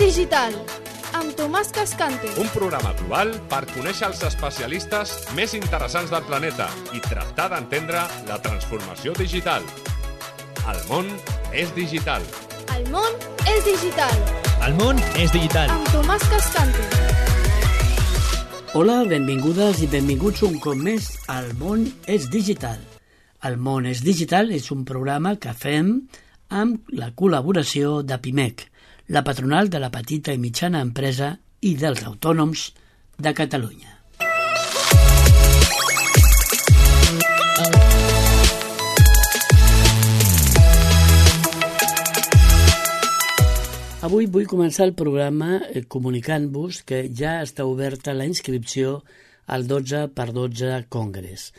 digital, amb Tomàs Cascante. Un programa global per conèixer els especialistes més interessants del planeta i tractar d'entendre la transformació digital. El món és digital. El món és digital. El món és digital. Amb Tomàs Cascante. Hola, benvingudes i benvinguts un cop més al món és digital. El món és digital és un programa que fem amb la col·laboració de PIMEC, la patronal de la petita i mitjana empresa i dels autònoms de Catalunya. Avui vull començar el programa comunicant-vos que ja està oberta la inscripció al 12x12 Congress.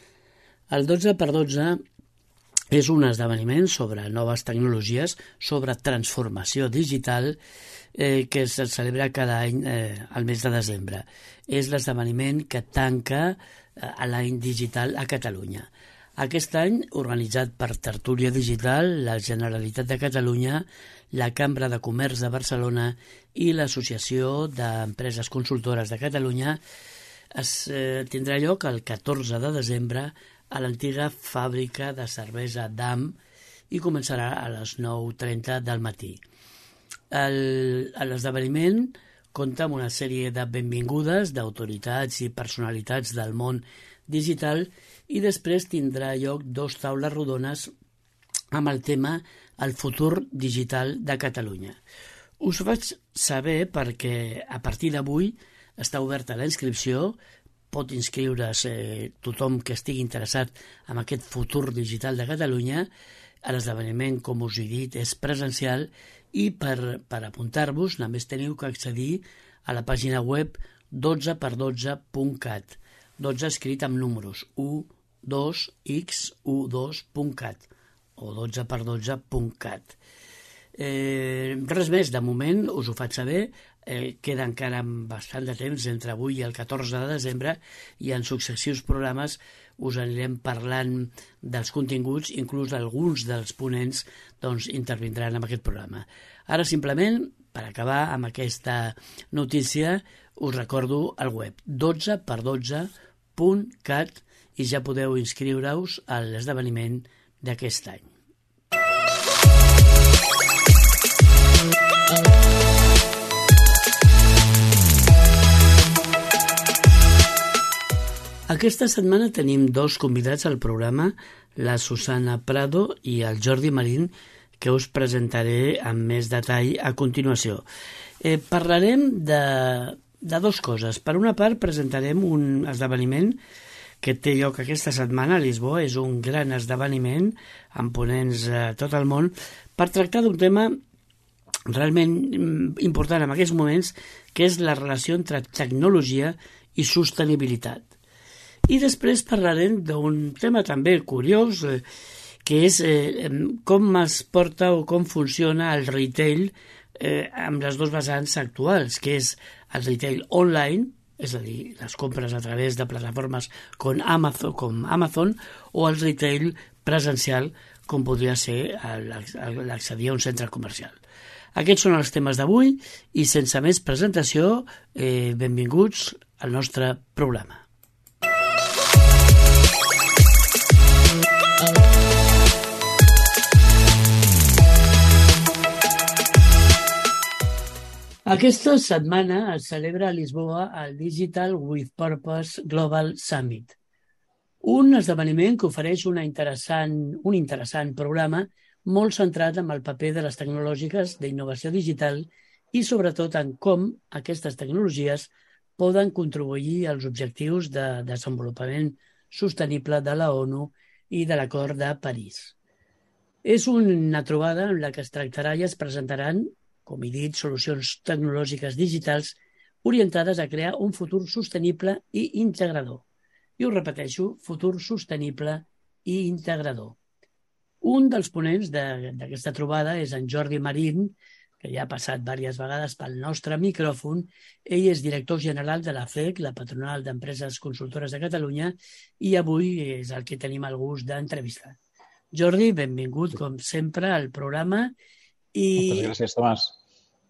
El 12x12 és un esdeveniment sobre noves tecnologies, sobre transformació digital que es celebra cada any al mes de desembre. És l'esdeveniment que tanca l'any digital a Catalunya. Aquest any, organitzat per Tertúlia Digital, la Generalitat de Catalunya, la Cambra de Comerç de Barcelona i l'Associació d'Empreses Consultores de Catalunya, es tindrà lloc el 14 de desembre a l'antiga fàbrica de cervesa DAM i començarà a les 9:30 del matí. L'esdeveniment compta amb una sèrie de benvingudes d'autoritats i personalitats del món digital i després tindrà lloc 2 taules rodones amb el tema El futur digital de Catalunya. Us ho faig saber perquè a partir d'avui està oberta la inscripció. Pot inscriure's tothom que estigui interessat en aquest futur digital de Catalunya. L'esdeveniment, com us he dit, és presencial i per apuntar-vos només teniu que accedir a la pàgina web 12x12.cat. 12 escrit amb números, u2x12.cat o 12x12.cat. Res més, de moment us ho faig saber. Queda encara bastant de temps entre avui i el 14 de desembre i en successius programes us anirem parlant dels continguts, inclús alguns dels ponents intervindran en aquest programa. Ara simplement, per acabar amb aquesta notícia, us recordo el web 12x12.cat i ja podeu inscriure-us a l'esdeveniment d'aquest any. Aquesta setmana tenim 2 convidats al programa, la Susana Prado i el Jordi Marín, que us presentaré amb més detall a continuació. Parlarem de 2 coses. Per una part, presentarem un esdeveniment que té lloc aquesta setmana a Lisboa. És un gran esdeveniment amb ponents a tot el món per tractar d'un tema realment important en aquests moments, que és la relació entre tecnologia i sostenibilitat. I després parlarem d'un tema també curiós, que és com es porta o com funciona el retail amb les 2 vessants actuals, que és el retail online, és a dir, les compres a través de plataformes com Amazon, o el retail presencial, com podria ser l'accedir a un centre comercial. Aquests són els temes d'avui i sense més presentació, benvinguts al nostre programa. Aquesta setmana es celebra a Lisboa el Digital with Purpose Global Summit, un esdeveniment que ofereix un interessant programa molt centrat en el paper de les tecnològiques d'innovació digital i sobretot en com aquestes tecnologies poden contribuir als objectius de desenvolupament sostenible de la ONU i de l'Acord de París. És una trobada en la que es tractarà i es presentaran, com he dit, solucions tecnològiques digitals orientades a crear un futur sostenible i integrador. I ho repeteixo, futur sostenible i integrador. Un dels ponents d'aquesta trobada és en Jordi Marín, que ja ha passat diverses vegades pel nostre micròfon. Ell és director general de la FEC, la patronal d'Empreses Consultores de Catalunya, i avui és el que tenim el gust d'entrevistar. Jordi, benvingut, com sempre, al programa. Moltes gràcies, Tomàs.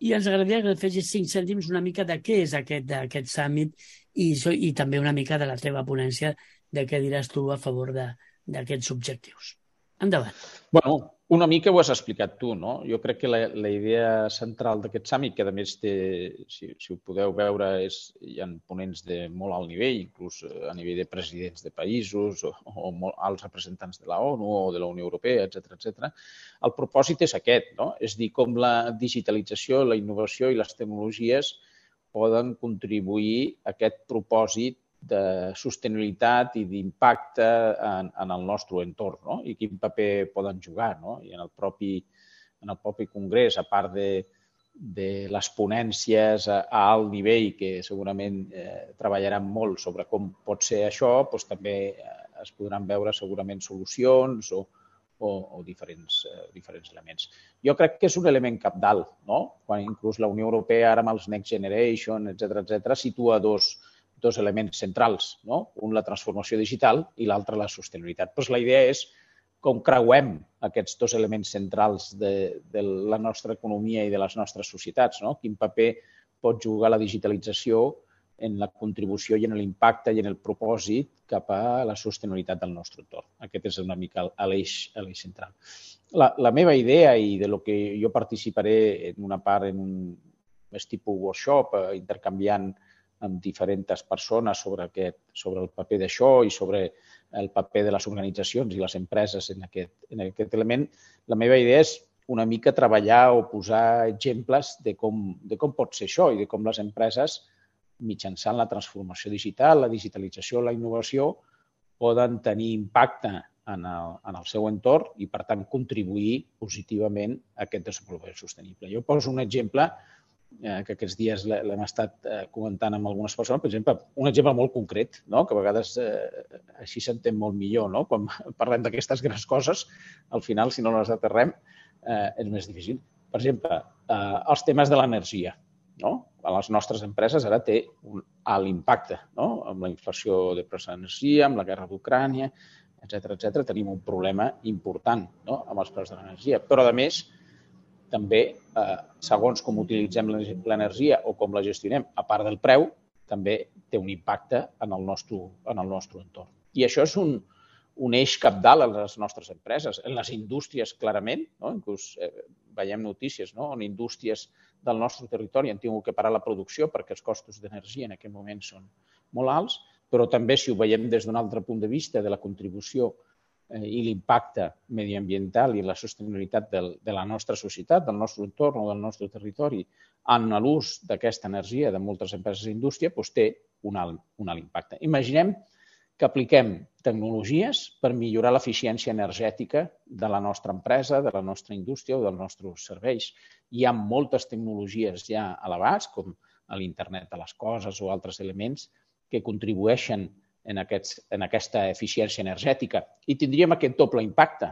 i ens agradaria que fessis 5 cèntims una mica de què és aquest summit i també una mica de la teva ponència de què diràs tu a favor d'aquests objectius. Endavant. Bueno, una mica ho has explicat tu, no? Jo crec que la idea central d'aquest summit, que a més té, si ho podeu veure, hi ha ponents de molt alt nivell, inclús a nivell de presidents de països o alts representants de la ONU o de la Unió Europea, etc. El propòsit és aquest, no? És dir, com la digitalització, la innovació i les tecnologies poden contribuir a aquest propòsit de sostenibilitat i d'impacte en el nostre entorn, no? I quin paper poden jugar, no? I en el propi congrés, a part de les ponències a alt nivell, que segurament treballaran molt sobre com pot ser això, doncs també es podran veure segurament solucions o diferents elements. Jo crec que és un element cabdal, no? Quan inclús la Unió Europea, ara amb els Next Generation, etc., situa dos elements centrals, no? Un, la transformació digital, i l'altre, la sostenibilitat. Però la idea és com creuem aquests dos elements centrals de la nostra economia i de les nostres societats, no? Quin paper pot jugar la digitalització en la contribució i en l'impacte i en el propòsit cap a la sostenibilitat del nostre entorn. Aquest és una mica l'eix central. La meva idea, i de lo que jo participaré en una part en un més tipus workshop, intercanviant amb diferents persones sobre el paper d'això i sobre el paper de les organitzacions i les empreses en aquest element, la meva idea és una mica treballar o posar exemples de com pot ser això i de com les empreses, mitjançant la transformació digital, la digitalització, la innovació, poden tenir impacte en el seu entorn i, per tant, contribuir positivament a aquest desenvolupament sostenible. Jo poso un exemple que aquests dies l'hem estat comentant amb algunes persones, per exemple, un exemple molt concret, no? Que a vegades així s'entén molt millor, no? Quan parlem d'aquestes grans coses, al final, si no les aterrem, és més difícil. Per exemple, els temes de l'energia, no? A les nostres empreses ara té un alt impacte, no? Amb la inflació de preus de l'energia, amb la guerra d'Ucrània, etc. Tenim un problema important, no? Amb els preus de l'energia. Però, a més, també, segons com utilitzem l'energia o com la gestionem, a part del preu, també té un impacte en el nostre entorn. I això és un eix cabdal a les nostres empreses, en les indústries, clarament, no? Inclús veiem notícies, no? On indústries del nostre territori han tingut que parar la producció perquè els costos d'energia en aquest moment són molt alts, però també, si ho veiem des d'un altre punt de vista de la contribució i l'impacte mediambiental i la sostenibilitat de la nostra societat, del nostre entorn o del nostre territori en l'ús d'aquesta energia de moltes empreses d'indústria, doncs té un alt impacte. Imaginem que apliquem tecnologies per millorar l'eficiència energètica de la nostra empresa, de la nostra indústria o dels nostres serveis. Hi ha moltes tecnologies ja a l'abast, com l'internet de les coses o altres elements, que contribueixen en aquesta eficiència energètica i tindríem aquest doble impacte.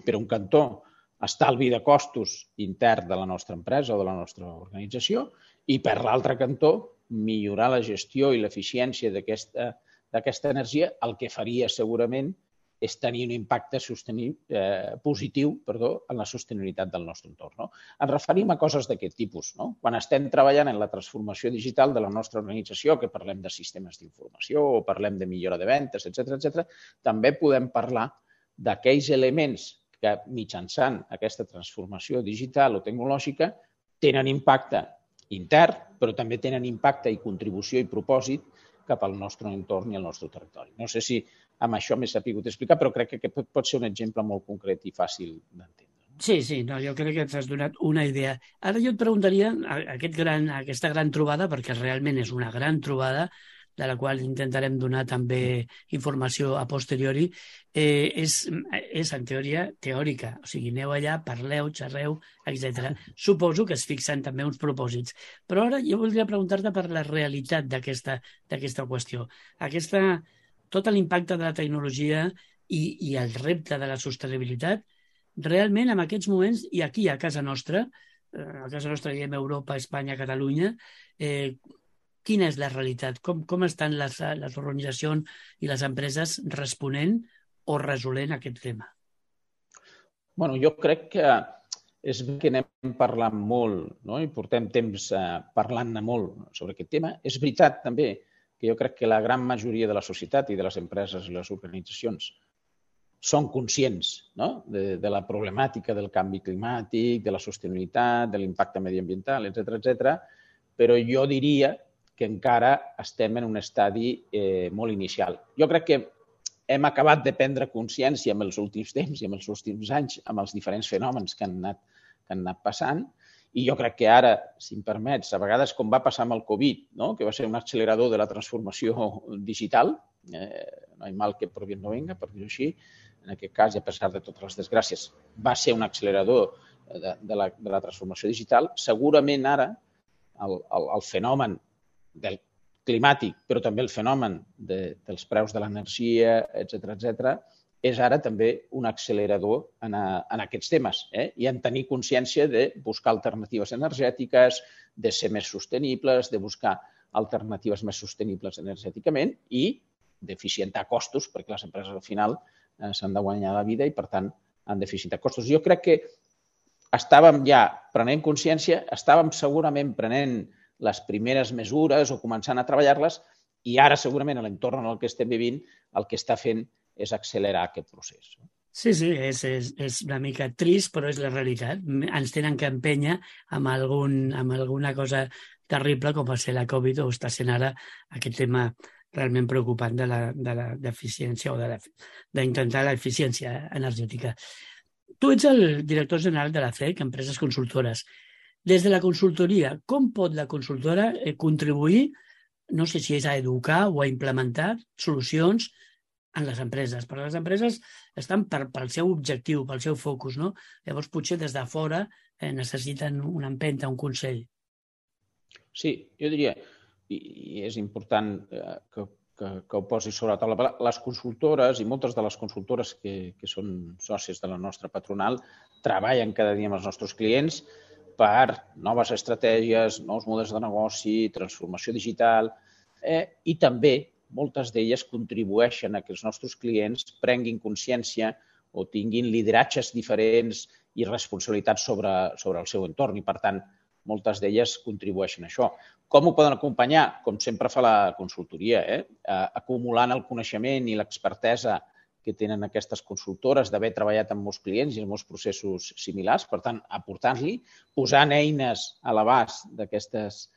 Per un cantó, estalvi de costos intern de la nostra empresa o de la nostra organització i, per l'altre cantó, millorar la gestió i l'eficiència d'aquesta energia, el que faria segurament és tenir un impacte positiu en la sostenibilitat del nostre entorn. No? Ens referim a coses d'aquest tipus. No? Quan estem treballant en la transformació digital de la nostra organització, que parlem de sistemes d'informació o parlem de millora de ventes, etc., també podem parlar d'aquells elements que, mitjançant aquesta transformació digital o tecnològica, tenen impacte intern, però també tenen impacte i contribució i propòsit cap al nostre entorn i al nostre territori. No sé si amb això m'he sabut explicar, però crec que pot ser un exemple molt concret i fàcil d'entendre. Sí, jo crec que ens has donat una idea. Ara jo et preguntaria, aquesta gran trobada, perquè realment és una gran trobada, de la qual intentarem donar també informació a posteriori, és en teoria teòrica. O sigui, aneu allà, parleu, xerreu, etc. Suposo que es fixen també uns propòsits. Però ara jo voldria preguntar-te per la realitat d'aquesta qüestió. Tot l'impacte de la tecnologia i el repte de la sostenibilitat, realment en aquests moments, i aquí a casa nostra diem Europa, Espanya, Catalunya, quina és la realitat? Com estan les organitzacions i les empreses responent o resolent aquest tema? Bueno, jo crec que és que anem parlant molt, no? I portem temps parlant-ne molt sobre aquest tema. És veritat també que jo crec que la gran majoria de la societat i de les empreses i les organitzacions són conscients, no? de la problemàtica del canvi climàtic, de la sostenibilitat, de l'impacte mediambiental, etc., però jo diria que encara estem en un estadi molt inicial. Jo crec que hem acabat de prendre consciència en els últims temps i en els últims anys amb els diferents fenòmens que han anat passant, i jo crec que ara, si em permets, a vegades com va passar amb el Covid, no? Que va ser un accelerador de la transformació digital, no hay mal que por bien no venga, per dir-ho així, en aquest cas, i a pesar de totes les desgràcies, va ser un accelerador de la transformació digital. Segurament ara el fenomen del climàtic, però també el fenomen dels preus de l'energia, etc., és ara també un accelerador en aquests temes, i en tenir consciència de buscar alternatives energètiques, de ser més sostenibles, de buscar alternatives més sostenibles energèticament i d'eficientar costos, perquè les empreses al final s'han de guanyar la vida i, per tant, han d'eficientar costos. Jo crec que estàvem ja prenent consciència, estàvem segurament prenent les primeres mesures o començant a treballar-les, i ara segurament a l'entorn en el que estem vivint el que està fent és accelerar aquest procés. Sí, és una mica trist, però és la realitat. Ens tenen que empènyer amb alguna cosa terrible com va ser la Covid o està sent ara aquest tema realment preocupant de la deficiència o d'intentar l'eficiència energètica. Tu ets el director general de la CEC, Empreses Consultores. Des de la consultoria, com pot la consultora contribuir, no sé si és a educar o a implementar solucions en les empreses? Perquè les empreses estan pel seu objectiu, pel seu focus, no? Llavors, potser des de fora necessiten una empenta, un consell. Sí, jo diria, i és important que ho posi sobre la taula. Les consultores, i moltes de les consultores que són sòcies de la nostra patronal, treballen cada dia amb els nostres clients per noves estratègies, nous models de negoci, transformació digital, i també moltes d'elles contribueixen a que els nostres clients prenguin consciència o tinguin lideratges diferents i responsabilitats sobre el seu entorn, i per tant moltes d'elles contribueixen a això. Com ho poden acompanyar? Com sempre fa la consultoria, acumulant el coneixement i l'expertesa que tenen aquestes consultores d'haver treballat amb molts clients i en molts processos similars, per tant, aportant-li, posant eines a l'abast d'aquestes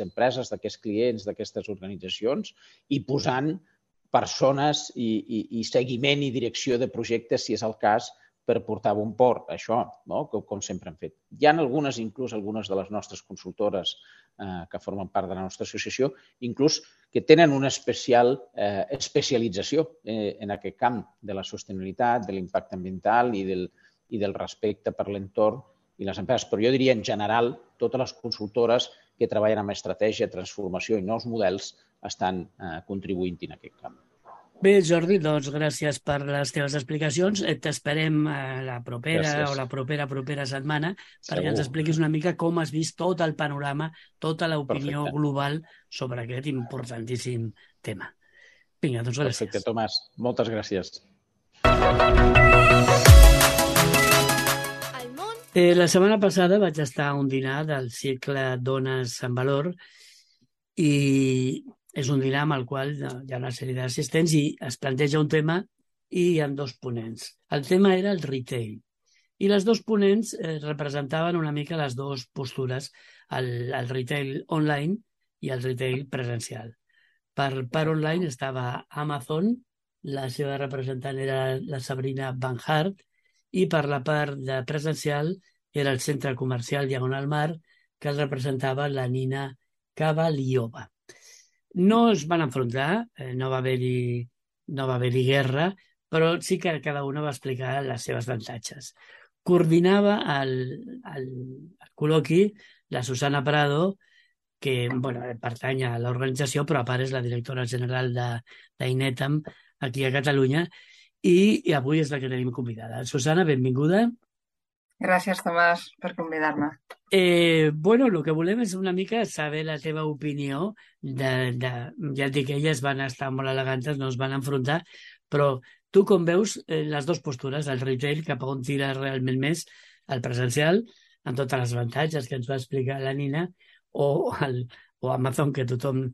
empreses, d'aquests clients, d'aquestes organitzacions, i posant persones i seguiment i direcció de projectes, si és el cas, per portar a bon port això, no? Com sempre hem fet. Hi ha algunes de les nostres consultores que formen part de la nostra associació, inclús que tenen una especialització en aquest camp de la sostenibilitat, de l'impacte ambiental i del respecte per l'entorn i les empreses. Però jo diria, en general, totes les consultores que treballen amb estratègia, transformació i nous models estan contribuint en aquest camp. Bé, Jordi, doncs gràcies per les teves explicacions. T'esperem la propera o la propera setmana perquè ens expliquis una mica com has vist tot el panorama, tota l'opinió global sobre aquest importantíssim tema. Vinga, doncs gràcies. Perfecte, Tomàs. Moltes gràcies. La setmana passada vaig estar a un dinar del cicle Dones en Valor i és un dinar amb el qual hi ha una sèrie d'assistents i es planteja un tema i hi ha dos ponents. El tema era el retail. I les dos ponents representaven una mica les dues postures, el retail online i el retail presencial. Per part online estava Amazon, la seva representant era la Sabrina Van Hart, i per la part de presencial era el centre comercial Diagonal Mar, que el representava la Nina Cavaliova. No es van enfrontar, no va haver-hi guerra, però sí que cada una va explicar les seves avantatges. Coordinava el col·loqui la Susana Prado, que pertany a l'organització, però a part és la directora general d'Inetam aquí a Catalunya, i avui és la que tenim convidada. Susana, benvinguda. Gràcies, Tomàs, per convidar-me. El que volem és una mica saber la teva opinió. Ja et dic que elles van estar molt elegantes, no es van enfrontar, però tu com veus les dues postures, el retail cap a on tira realment més, el presencial, amb tots els avantatges que ens va explicar la Nina, o Amazon, que tothom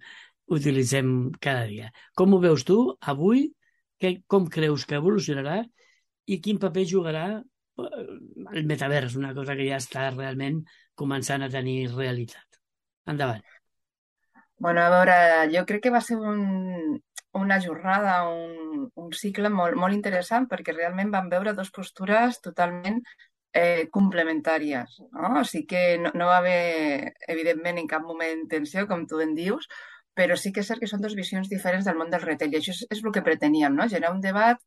utilitzem cada dia. Com ho veus tu avui? Com creus que evolucionarà i quin paper jugarà el metavers, una cosa que ja està realment començant a tenir realitat? Endavant. Bueno, a veure, jo crec que va ser una jornada, un cicle molt interessant, perquè realment vam veure dues postures totalment complementàries, no? O sigui que no va haver, evidentment, en cap moment tensió, com tu en dius, però sí que és cert que són dues visions diferents del món del retail, i això és el que preteníem, no? Generar un debat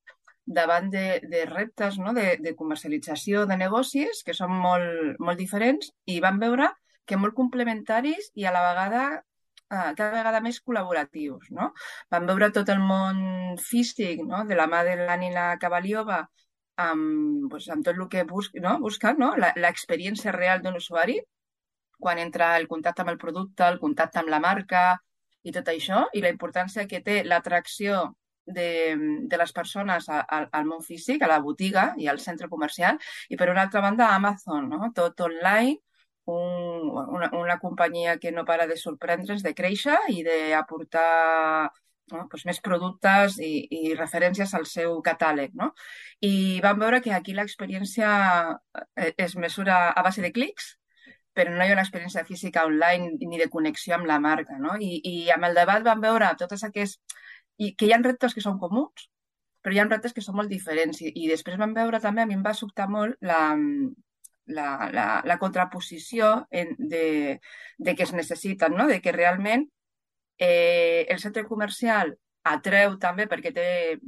davant de reptes, no? de comercialització de negocis que són molt diferents, i vam veure que molt complementaris i a la vegada cada vegada més col·laboratius, no? Vam veure tot el món físic, no? De la mà de l'Anina Cavaliova, amb tot el que busca, no? L'experiència real d'un usuari, quan entra el contacte amb el producte, el contacte amb la marca i tot això, i la importància que té l'atracció de les persones al món físic, a la botiga i al centre comercial, i per una altra banda Amazon, no? Tot online, una companyia que no para de sorprendre's, de créixer i d'aportar més productes i referències al seu catàleg, no? I vam veure que aquí l'experiència es mesura a base de clics, però no hi ha una experiència física online ni de connexió amb la marca, no? I amb el debat vam veure totes aquests... I que hi ha reptes que són comuns, però hi ha reptes que són molt diferents. I després vam veure també, a mi em va sobtar molt la contraposició de que es necessiten, no? De que realment el centre comercial atreu també perquè té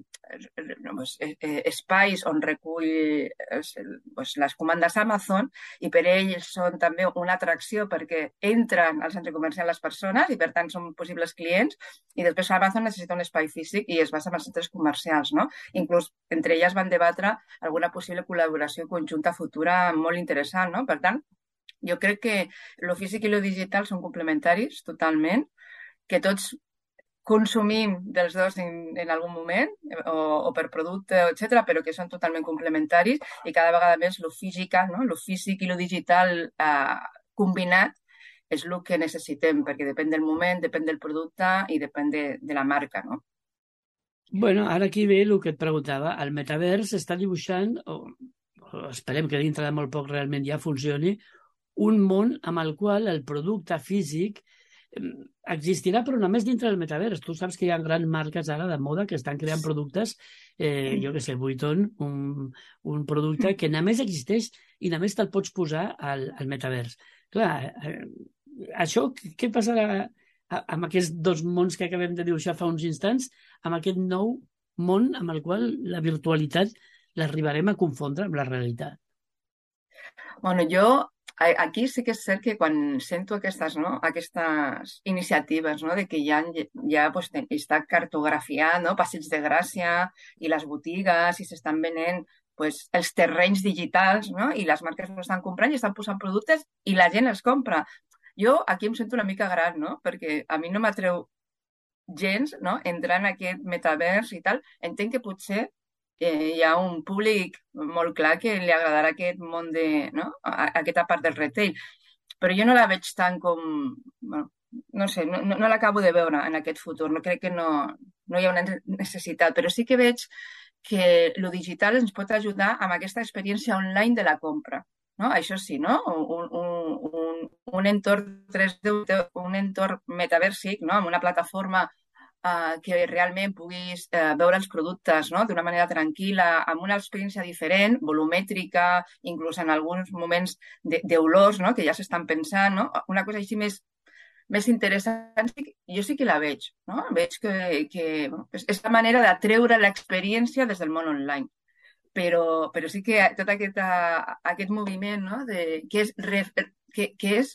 espais on recull les comandes Amazon, i per ells són també una atracció perquè entren al centre comercial les persones i per tant són possibles clients, i després Amazon necessita un espai físic i es basa en els centres comercials, no? Inclús entre elles van debatre alguna possible col·laboració conjunta futura molt interessant, no? Per tant, jo crec que lo físic i lo digital són complementaris totalment, que tots consumim dels dos en algun moment, o per producte, etc., però que són totalment complementaris, i cada vegada més lo físic, no? Lo físic i lo digital combinat és el que necessitem, perquè depèn del moment, depèn del producte i depèn de la marca, no? Bueno, ara aquí ve el que et preguntava. El metavers està dibuixant, o esperem que dintre de molt poc realment ja funcioni, un món amb el qual el producte físic existirà, però només dintre del metavers. Tu saps que hi ha grans marques ara de moda que estan creant productes, jo què sé, Vuitton, un producte que només existeix i només te'l pots posar al metavers. Clar, això què passarà amb aquests dos mons que acabem de dibuixar fa uns instants, amb aquest nou món amb el qual la virtualitat l'arribarem a confondre amb la realitat? Bueno, jo aquí sí que és cert que quan sento aquestes iniciatives, no? De que ja està cartografiat, no? Passeig de Gràcia i les botigues, i s'estan venent els terrenys digitals, no? I les marques ho estan comprant i estan posant productes i la gent els compra. Jo aquí em sento una mica gran, no? Perquè a mi no m'atreu gens, no? Entrar en aquest metavers i tal. Entenc que potser hi ha un públic molt clar que li agradarà aquest món aquesta part del retail, però jo no la veig tant com... Bueno, no sé, no l'acabo de veure en aquest futur, no crec que no hi ha una necessitat, però sí que veig que lo digital ens pot ajudar amb aquesta experiència online de la compra, no? Això sí, no? Un entorn 3D, un entorn metaversic, no? Amb una plataforma que realment puguis veure els productes, no? D'una manera tranquil·la, amb una experiència diferent, volumètrica, inclús en alguns moments d'olors, no? Que ja s'estan pensant, no? Una cosa així més interessant, jo sí que la veig, no? Veig que és la manera d'atreure l'experiència des del món online. Però sí que tot aquest moviment, no? Que és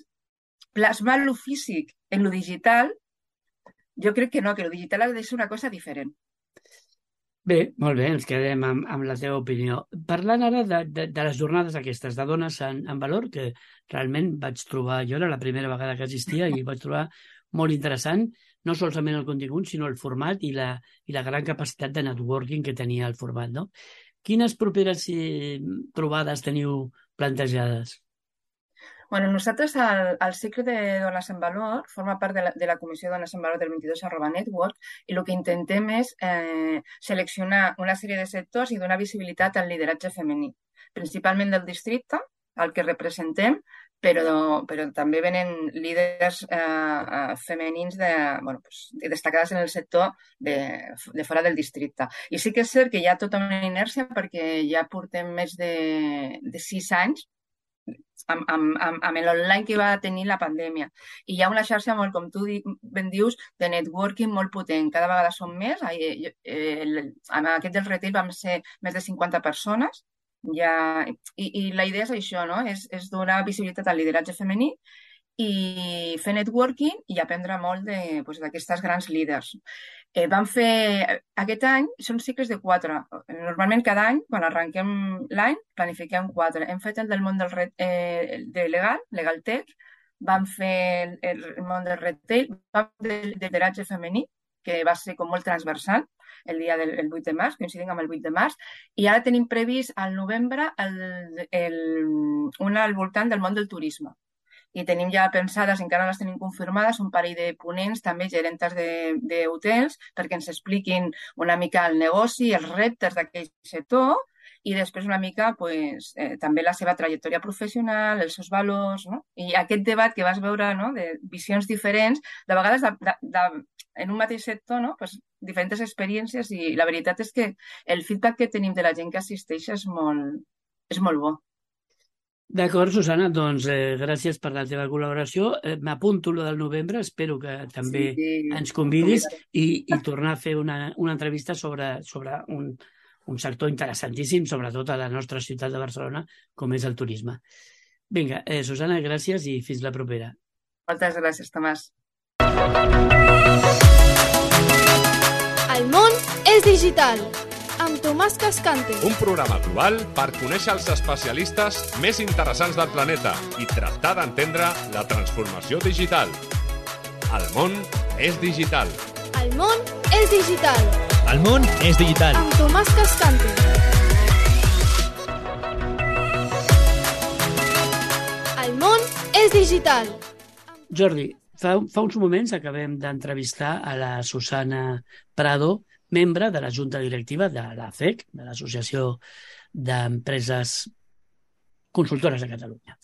plasmar lo físic en lo digital. Jo crec que no, que el digital ha de ser una cosa diferent. Bé, molt bé, ens quedem amb la teva opinió. Parlant ara de les jornades aquestes, de Dones en Valor, que realment vaig trobar, jo era la primera vegada que existia i vaig trobar molt interessant, no solament el contingut, sinó el format i la gran capacitat de networking que tenia el format, no? Quines properes trobades teniu plantejades? Bueno, nosaltres el cicle de Dones en Valor forma part de la Comissió Dones en Valor del 22@Network i el que intentem és seleccionar una sèrie de sectors i donar visibilitat al lideratge femení, principalment del districte, al que representem, però també venen líders femenins destacades en el sector de fora del districte. I sí que és cert que hi ha tota una inèrcia perquè ja portem més de 6 anys amb l'online que va tenir la pandèmia. I hi ha una xarxa molt, com tu ben dius, de networking molt potent. Cada vegada som més. En aquest del retail vam ser més de 50 persones. I la idea és això, no? És donar visibilitat al lideratge femení i fer networking i aprendre molt d'aquestes grans líders. Vam fer, aquest any, són cicles de 4. Normalment cada any, quan arrenquem l'any, planifiquem 4. Hem fet el del món de Legal Tech, vam fer el món del retail, vam fer el lideratge femení, que va ser com molt transversal, el dia del 8 de març, coincidint amb el 8 de març, i ara tenim previst al novembre una al voltant del món del turisme. I tenim ja pensades, encara no les tenim confirmades, un parell de ponents, també gerentes d'hotels, perquè ens expliquin una mica el negoci, els reptes d'aquell sector, i després una mica també la seva trajectòria professional, els seus valors, no? I aquest debat que vas veure, no?, de visions diferents, de vegades en un mateix sector, no?, diferents experiències, i la veritat és que el feedback que tenim de la gent que assisteix és molt bo. D'acord, Susana, doncs gràcies per la teva col·laboració. M'apunto lo del novembre, espero que també ens convidis i tornar a fer una entrevista sobre un sector interessantíssim, sobretot a la nostra ciutat de Barcelona, com és el turisme. Vinga, Susana, gràcies i fins la propera. Moltes gràcies, Tomàs. El món és digital, amb Tomàs Cascante. Un programa global per conèixer els especialistes més interessants del planeta i tractar d'entendre la transformació digital. El món és digital. El món és digital. El món és digital. Amb Tomàs Cascante. El món és digital. Jordi, fa uns moments acabem d'entrevistar a la Susana Prado, membre de la Junta Directiva de l'ACEC, de l'Associació d'Empreses Consultores de Catalunya.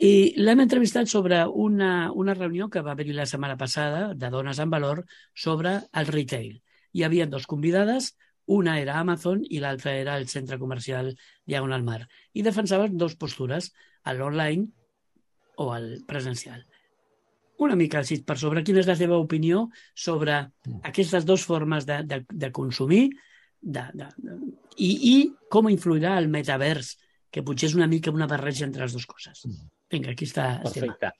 I l'hem entrevistat sobre una reunió que va haver-hi la setmana passada de Dones en Valor sobre el retail. Hi havia 2 convidades, una era Amazon i l'altra era el centre comercial Diagonal Mar. I defensaven 2 postures, l'online o el presencial. Una mica així per sobre, quina és la teva opinió sobre aquestes 2 formes de consumir i com influirà el metavers, que potser és una mica una barreja entre les 2 coses. Vinga, aquí està. Perfecte.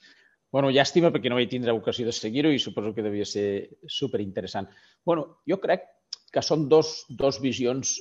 Bueno, llàstima perquè no vaig tindre ocasió de seguir-ho i suposo que devia ser superinteressant. Bueno, jo crec que són dos visions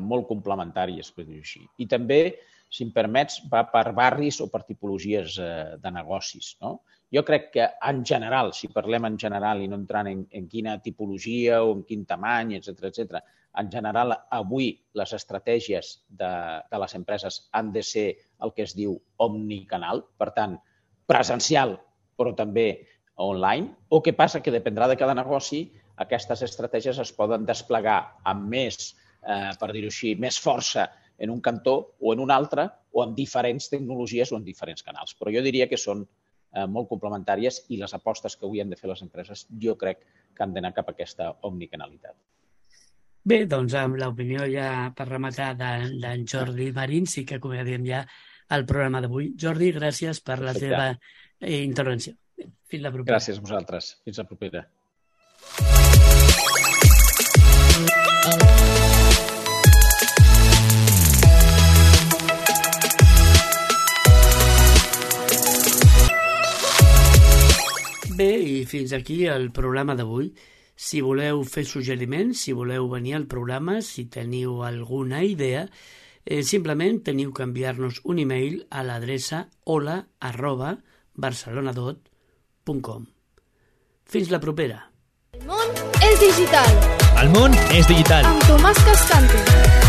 molt complementàries, per dir-ho així. I també, si em permets, va per barris o per tipologies de negocis, no? Jo crec que, en general, si parlem en general i no entrant en quina tipologia o en quin tamany, etc., en general, avui les estratègies de les empreses han de ser el que es diu omnicanal, per tant, presencial, però també online. O què passa? Que dependrà de cada negoci, aquestes estratègies es poden desplegar amb més, per dir-ho així, més força en un cantó o en un altre, o amb diferents tecnologies o en diferents canals. Però jo diria que són molt complementàries i les apostes que avui han de fer les empreses jo crec que han d'anar cap a aquesta omnicanalitat. Bé, doncs amb l'opinió ja per rematar d'en Jordi Marín sí que acomiadem ja el programa d'avui. Jordi, gràcies per la teva intervenció. Fins la propera. Gràcies a vosaltres. Fins la propera. Bé, i fins aquí el programa d'avui. Si voleu fer suggeriments, si voleu venir al programa, si teniu alguna idea, simplement teniu que enviar-nos un email a l'adreça hola@barcelonadot.com. Fins la propera. El món és digital. El món és digital. Amb Tomàs Cascante.